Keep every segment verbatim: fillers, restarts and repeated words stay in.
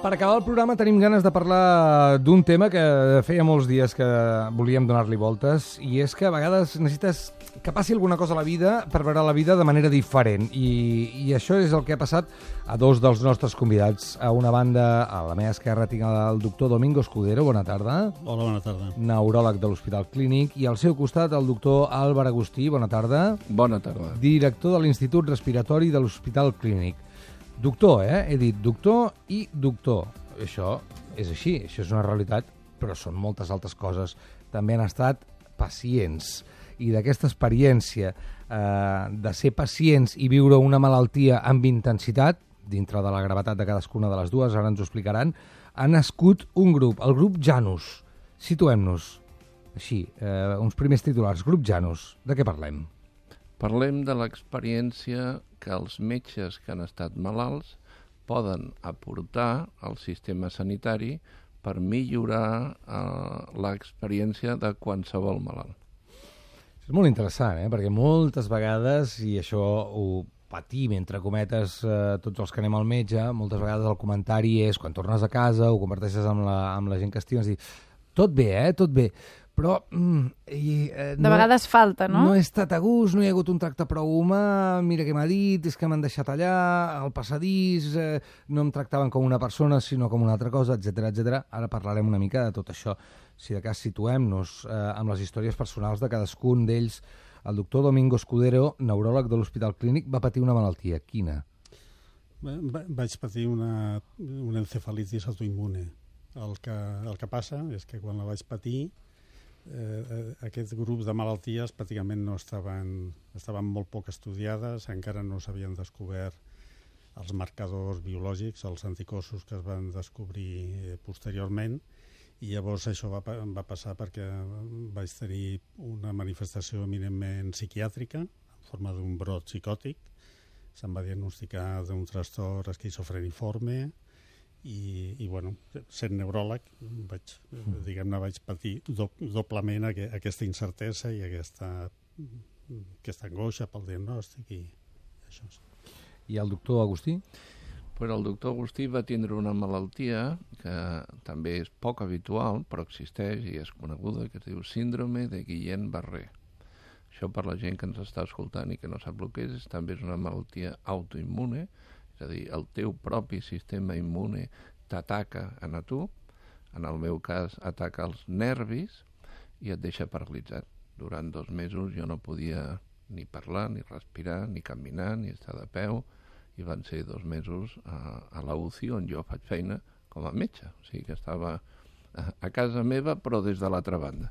Per acabar el programa tenim ganes de parlar d'un tema que feia molts dies que volíem donar-li voltes, i és que a vegades necessites que passi alguna cosa a la vida per veure la vida de manera diferent, i, i això és el que ha passat a dos dels nostres convidats. A una banda, a la meva esquerra, tinc el doctor Domingo Escudero, bona tarda. Hola, bona tarda. Neuròleg de l'Hospital Clínic, i al seu costat el doctor Àlvar Agustí, bona tarda. Bona tarda. Director de l'Institut Respiratori de l'Hospital Clínic. Doctor, eh? He dit doctor i doctor. Això és així, això és una realitat, però són moltes altres coses. També han estat pacients. I d'aquesta experiència eh, de ser pacients i viure una malaltia amb intensitat, dintre de la gravetat de cadascuna de les dues, ara ens ho explicaran, ha nascut un grup, el grup Janus. Situem-nos. Així, eh, uns primers titulars. Grup Janus, de què parlem? Parlem de l'experiència que els metges que han estat malalts poden aportar al sistema sanitari per millorar eh, l'experiència de qualsevol malalt. És molt interessant, eh? Perquè moltes vegades, i això ho patim, entre cometes, eh, tots els que anem al metge, moltes vegades el comentari és, quan tornes a casa, ho converteixes amb la, amb la gent que estimes, i tot bé, eh? Tot bé. Però... Mm, i, eh, de no, vegades falta, no? No he estat a gust, no hi ha hagut un tracte prou humà, mira què m'ha dit, és que m'han deixat allà, al passadís, eh, no em tractaven com una persona, sinó com una altra cosa, etcètera, etcètera. Ara parlarem una mica de tot això. Si de cas situem-nos eh, amb les històries personals de cadascun d'ells. El doctor Domingo Escudero, neuròleg de l'Hospital Clínic, va patir una malaltia. Quina? Va, vaig patir una, una encefalitis autoimmune. El que, el que passa és que quan la vaig patir, Eh, aquest grup de malalties pràcticament no estaven, estaven molt poc estudiades, encara no s'havien descobert els marcadors biològics, els anticossos que es van descobrir eh, posteriorment, i llavors això va, va passar perquè vaig tenir una manifestació eminentment psiquiàtrica en forma d'un brot psicòtic. Se'm va diagnosticar d'un trastorn esquizofreniforme, i, i bueno, sent neuròleg vaig, diguem-ne, vaig patir do, doblement aqu aquesta incertesa i aquesta, aquesta angoixa pel diagnòstic i això. I el doctor Agustí? Però el doctor Agustí va tindre una malaltia que també és poc habitual, però existeix i és coneguda, que es diu síndrome de Guillain-Barré. Això, per la gent que ens està escoltant i que no sap el que és, també és una malaltia autoimmune. És a dir, el teu propi sistema immune t'ataca a tu, en el meu cas ataca els nervis i et deixa paralitzat. Durant dos mesos jo no podia ni parlar, ni respirar, ni caminar, ni estar de peu, i van ser dos mesos a, a la U C I on jo faig feina com a metge. O sigui que estava a, a casa meva, però des de l'altra banda.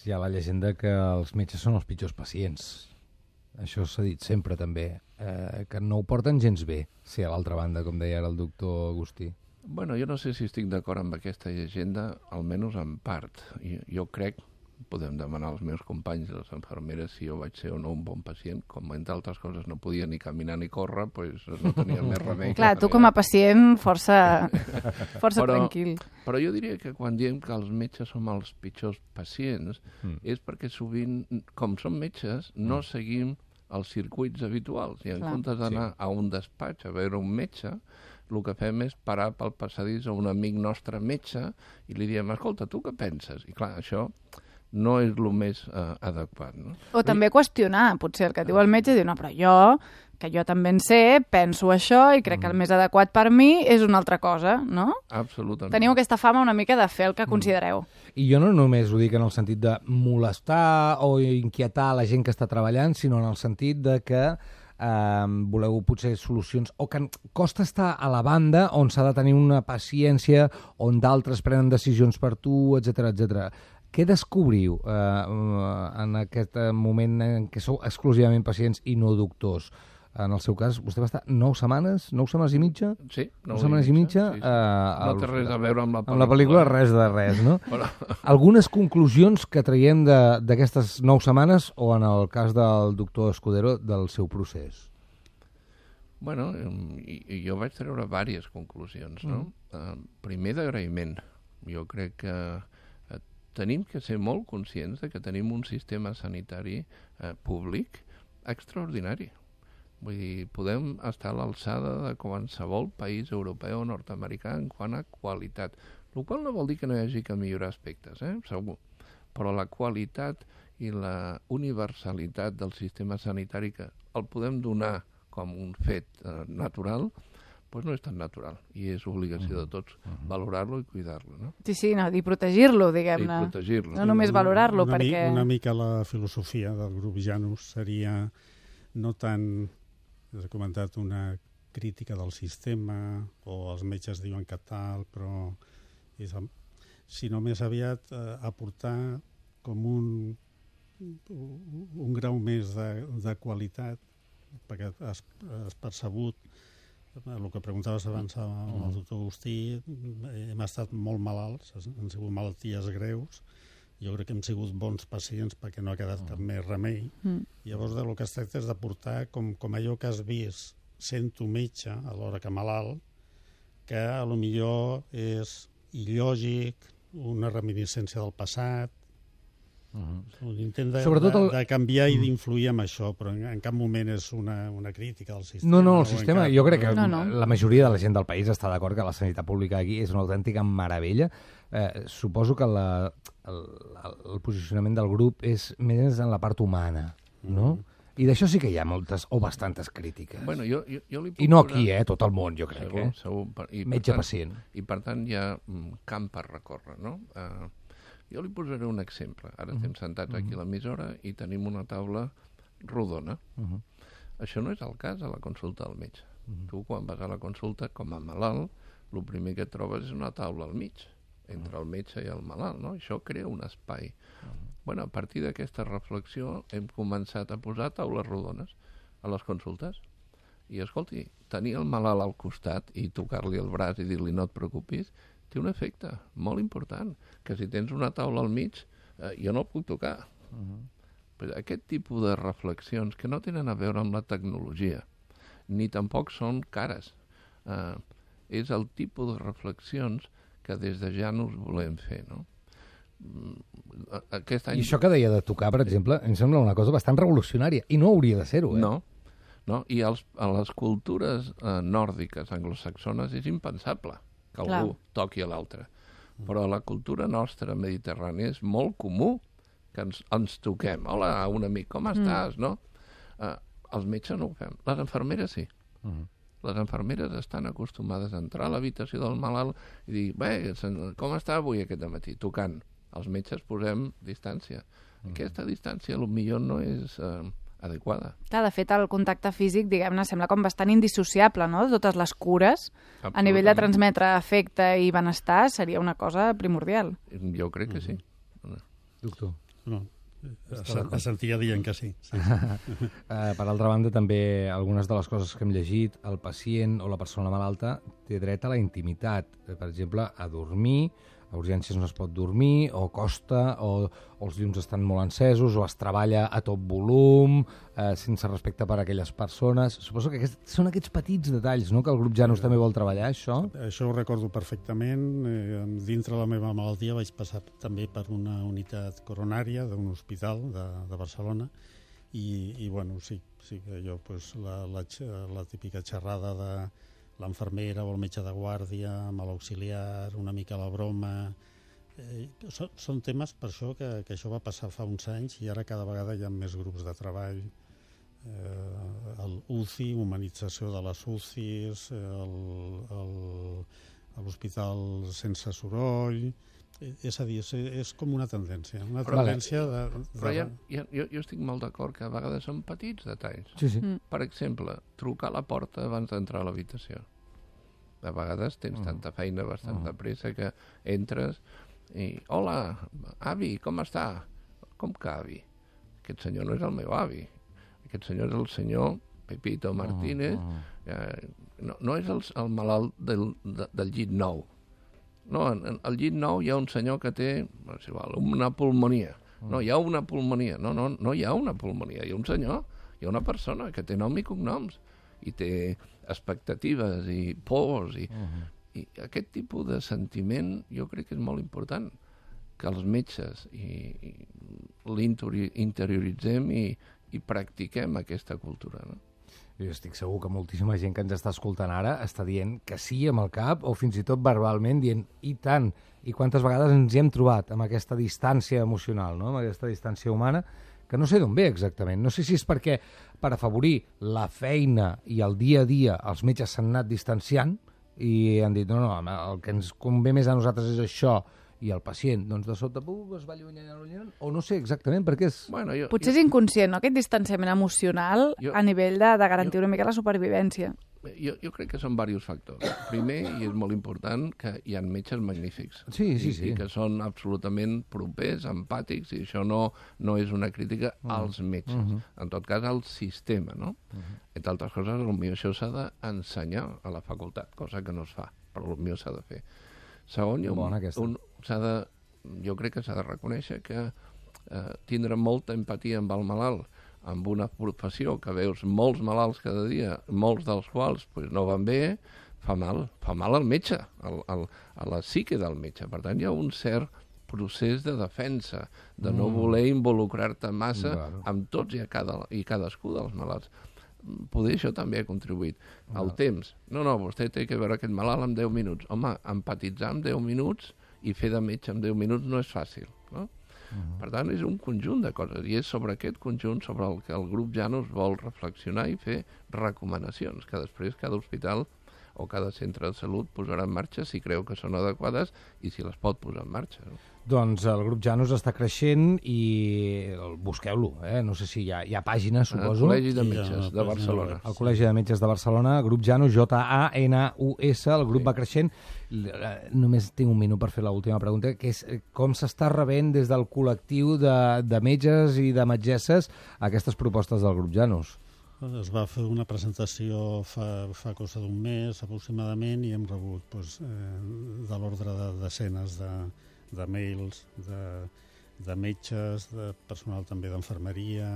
Hi ha la llegenda que els metges són els pitjors pacients. Això s'ha dit sempre, també, eh, que no ho porten gens bé, ser a l'altra banda, com deia ara el doctor Agustí. Bueno, jo no sé si estic d'acord amb aquesta llegenda, almenys en part. Jo, jo crec, podem demanar als meus companys, les infermeres, si jo vaig ser o no un bon pacient, com entre altres coses no podia ni caminar ni córrer, doncs no tenia més remei. Clar, tu com a pacient força, força però, tranquil. Però jo diria que quan diem que els metges som els pitjors pacients, mm. és perquè sovint, com som metges, no mm. seguim els circuits habituals, i en Clar. comptes d'anar sí. a un despatx a veure un metge, el que fem és parar pel passadís a un amic nostre metge i li diem, escolta, tu què penses? I clar, això no és el més eh, adequat. No? O també qüestionar, potser el que diu el metge, diu, no, però jo, que jo també en sé, penso això i crec mm. que el més adequat per mi és una altra cosa, no? Absolutament. Teniu aquesta fama una mica de fer el que considereu. I jo no només ho dic en el sentit de molestar o inquietar la gent que està treballant, sinó en el sentit de que eh, voleu potser solucions, o que costa estar a la banda on s'ha de tenir una paciència, on d'altres prenen decisions per tu, etcètera, etcètera. Què descobriu eh, en aquest moment en què sou exclusivament pacients i no doctors? En el seu cas, vostè va estar nou setmanes, nou setmanes i mitja? Sí, nou, nou setmanes i mitja. Sí, sí. Eh, no té res a veure amb la pel·lícula. Amb la pel·lícula res de res, no? Però... Algunes conclusions que traiem d'aquestes nou setmanes, o en el cas del doctor Escudero, del seu procés? Bueno, i, i jo vaig treure diverses conclusions, no? Mm. Uh, primer, d'agraïment. Jo crec que uh, tenim que ser molt conscients de que tenim un sistema sanitari uh, públic extraordinari. Vull dir, podem estar a l'alçada de qualsevol país europeu o nord-americà en quant a qualitat, el qual no vol dir que no hi hagi que millorar aspectes, eh? Segur, però la qualitat i la universalitat del sistema sanitari que el podem donar com un fet eh, natural, doncs no és tan natural i és obligació de tots valorar-lo i cuidar-lo, no? Sí, sí, no, i protegir-lo, I diguem-ne. protegir-lo. No només valorarlo, una, mi- perquè... Una mica la filosofia del grup Janus seria no tant, has comentat, una crítica del sistema, o els metges diuen que tal, però és, sinó més aviat eh, aportar com un, un grau més de, de qualitat, perquè has, has percebut el que preguntaves abans amb el doctor Agustí, hem estat molt malalts, han sigut malalties greus, jo crec que hem sigut bons pacients perquè no ha quedat cap més remei. Mm. Llavors, del que es tracta és d'aportar com, com allò que has vist sent tu metge a l'hora que malalt, que a lo millor és il·lògic, una reminiscència del passat, un intent de, Sobretot el- de, de canviar i d'influir amb això, però en, en cap moment és una, una crítica al sistema. No, no, o el en sistema, cap- jo crec que No, no. la majoria de la gent del país està d'acord que la sanitat pública aquí és una autèntica meravella. Eh, suposo que la, el, el posicionament del grup és més en la part humana, no? I d'això sí que hi ha moltes o bastantes crítiques. Bueno, jo, jo, jo li puc I no posar- aquí, eh? Tot el món, jo crec, Segur, eh? segur. Per- I per Metge-pacient. tant- I per tant hi ha mm, camp per recórrer, no? Uh, jo li posaré un exemple. Ara estem sentats aquí a l'emissora i tenim una taula rodona. Uh -huh. Això no és el cas a la consulta del metge. Tu, quan vas a la consulta com a malalt, el primer que trobes és una taula al mig, entre el metge i el malalt, no? Això crea un espai. Bueno, a partir d'aquesta reflexió hem començat a posar taules rodones a les consultes. I, escolti, tenir el malalt al costat i tocar-li el braç i dir-li no et preocupis, té un efecte molt important, que si tens una taula al mig, eh, jo no el puc tocar. Però aquest tipus de reflexions que no tenen a veure amb la tecnologia, ni tampoc són cares. Eh, és el tipus de reflexions que des de Janus volem fer, no? Mm, a- Aquest any... I això que deia de tocar, per exemple, em sembla una cosa bastant revolucionària. I no hauria de ser-ho, eh? No, no. I als, a les cultures eh, nòrdiques, anglosaxones, és impensable que Clar. algú toqui a l'altre. Però a la cultura nostra mediterrània és molt comú que ens, ens toquem. Hola, un amic, com estàs? No? Eh, els metges no ho fem. Les infermeres sí. Mhm. Les infermeres estan acostumades a entrar a l'habitació del malalt i dir, bé, sen- com està avui aquest matí? Tocant. Els metges posem distància. Aquesta distància potser no és eh, adequada. Clar, de fet, el contacte físic, diguem-ne, sembla com bastant indissociable, no?, de totes les cures. A nivell de Absolutament. transmetre afecte i benestar seria una cosa primordial. Jo crec que sí. Doctor. No, es sentia dient que sí. sí. Eh, per altra banda, també algunes de les coses que hem llegit, el pacient o la persona malalta té dret a la intimitat. Eh, Per exemple, a dormir, a urgències no es pot dormir, o costa, o, o els llums estan molt encesos, o es treballa a tot volum, eh, sense respecte per a aquelles persones. Suposo que aquests, són aquests petits detalls, no?, que el grup Janus també vol treballar, això. Això ho recordo perfectament. Eh, dintre la meva malaltia vaig passar també per una unitat coronària d'un hospital de, de Barcelona i, i bueno, sí, sí que allò, pues, la, la, xa- la típica xerrada de l'infermera o el metge de guàrdia amb l'auxiliar, una mica la broma. Eh, són, són temes per això que, que això va passar fa uns anys i ara cada vegada hi ha més grups de treball. Eh, el U C I, humanització de les U C Is, el, el, l'hospital sense soroll. Eh, És a dir, és, és com una tendència, una Però- tendència de... de Però ja, ja, jo, jo estic molt d'acord que a vegades són petits detalls. Sí, sí. Mm. Per exemple, trucar a la porta abans d'entrar a l'habitació. A vegades tens tanta feina, bastant de pressa, que entres i... Hola, avi, com està? Com que avi? Aquest senyor no és el meu avi. Aquest senyor és el senyor Pepito Martínez. Eh, no, no és el, el malalt del, de, del llit nou. No, en, en el llit nou hi ha un senyor que té no sé, val, una pulmonia. No, hi ha una pulmonia. No, no, no hi ha una pulmonia. Hi ha un senyor, hi ha una persona que té nom i cognoms i té expectatives i pors i, i aquest tipus de sentiment jo crec que és molt important que els metges i, i l'interioritzem i, i practiquem aquesta cultura, no? Jo estic segur que moltíssima gent que ens està escoltant ara està dient que sí amb el cap o fins i tot verbalment dient i tant, i quantes vegades ens hi hem trobat amb aquesta distància emocional, no? Amb aquesta distància humana, que no sé d'on ve exactament. No sé si és perquè per afavorir la feina i el dia a dia els metges s'han anat distanciant i han dit no, no, el que ens convé més a nosaltres és això, i el pacient, doncs, de sota pum, es va allunyant, allunyant, o no sé exactament per què és... Bueno, jo, Potser jo, és inconscient, no?, aquest distanciament emocional jo, a nivell de, de garantir jo, una mica la supervivència. Jo, jo crec que són diversos factors. Primer, i és molt important, que hi ha metges magnífics. Sí, sí, sí. I, i que són absolutament propers, empàtics, i això no, no és una crítica uh -huh. als metges. Uh -huh. En tot cas, al sistema, no? Uh -huh. Entre altres coses, potser això s'ha d'ensenyar a la facultat, cosa que no es fa, però potser s'ha de fer. Segon, hi ha un, un, s'ha de, jo crec que s'ha de reconèixer que eh, tindre molta empatia amb el malalt, amb una professió que veus molts malalts cada dia, molts dels quals pues, no van bé, fa mal, fa mal al metge, al, al, a la psique del metge. Per tant, hi ha un cert procés de defensa, de no mm. voler involucrar-te massa claro. amb tots i, a cada, i cadascú dels malalts. Poder això també ha contribuït. Ah. El temps. No, no, vostè té que veure aquest malalt en deu minuts. Home, empatitzar en deu minuts i fer de metge en deu minuts no és fàcil, no? Uh-huh. Per tant, és un conjunt de coses, i és sobre aquest conjunt sobre el que el grup Janus vol reflexionar i fer recomanacions, que després cada hospital o cada centre de salut posarà en marxa si creu que són adequades i si les pot posar en marxa. No? Doncs el grup Janus està creixent i busqueu-lo, eh? No sé si hi ha, hi ha pàgines, suposo. El Col·legi de Metges de Barcelona. El Col·legi de Metges de Barcelona, grup Janus, J A N U S, el grup sí. va creixent. Només tinc un minut per fer l'última pregunta, que és com s'està rebent des del col·lectiu de, de metges i de metgesses aquestes propostes del grup Janus? Es va fer una presentació fa, fa cosa d'un mes aproximadament i hem rebut doncs, eh, de l'ordre de desenes de, de mails de, de metges, de personal també d'infermeria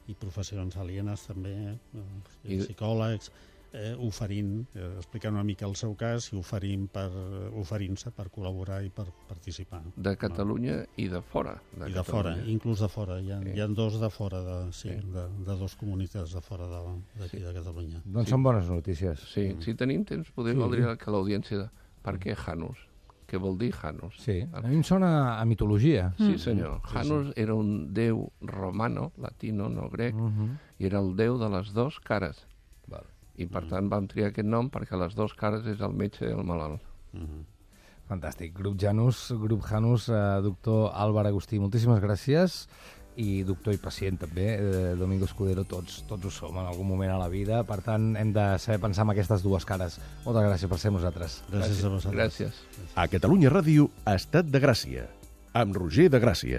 i professions alienes també, eh, I... psicòlegs, eh, oferint, eh, explicant una mica el seu cas i oferint per, oferint-se per col·laborar i per participar. De Catalunya no? i de fora. De I Catalunya. de fora, inclús de fora. Hi ha, sí. hi ha dos de fora, de, sí, sí. de, de dos comunitats de fora d'aquí de, sí. de Catalunya. Doncs sí. són bones notícies. Sí, mm. si tenim temps podem sí. valdria que l'audiència... Per què Janus? Què vol dir Janus? Sí, a mi em sona a mitologia. Sí, senyor. Mm. Janus sí, sí. era un déu romano, latino, no grec, mm -hmm. i era el déu de les dues cares. Val. I per mm. tant vam triar aquest nom perquè les dues cares és el metge i el malalt. Mm -hmm. Fantàstic. Grup Janus, grup Janus, eh, doctor Àlvar Agustí, moltíssimes gràcies. I doctor i pacient també, eh, Domingo Escudero, tots, tots ho som en algun moment a la vida, per tant hem de saber pensar en aquestes dues cares. Moltes gràcies per ser nosaltres. Gràcies, gràcies a vosaltres. Gràcies. A Catalunya Ràdio, Estat de Gràcia, amb Roger de Gràcia.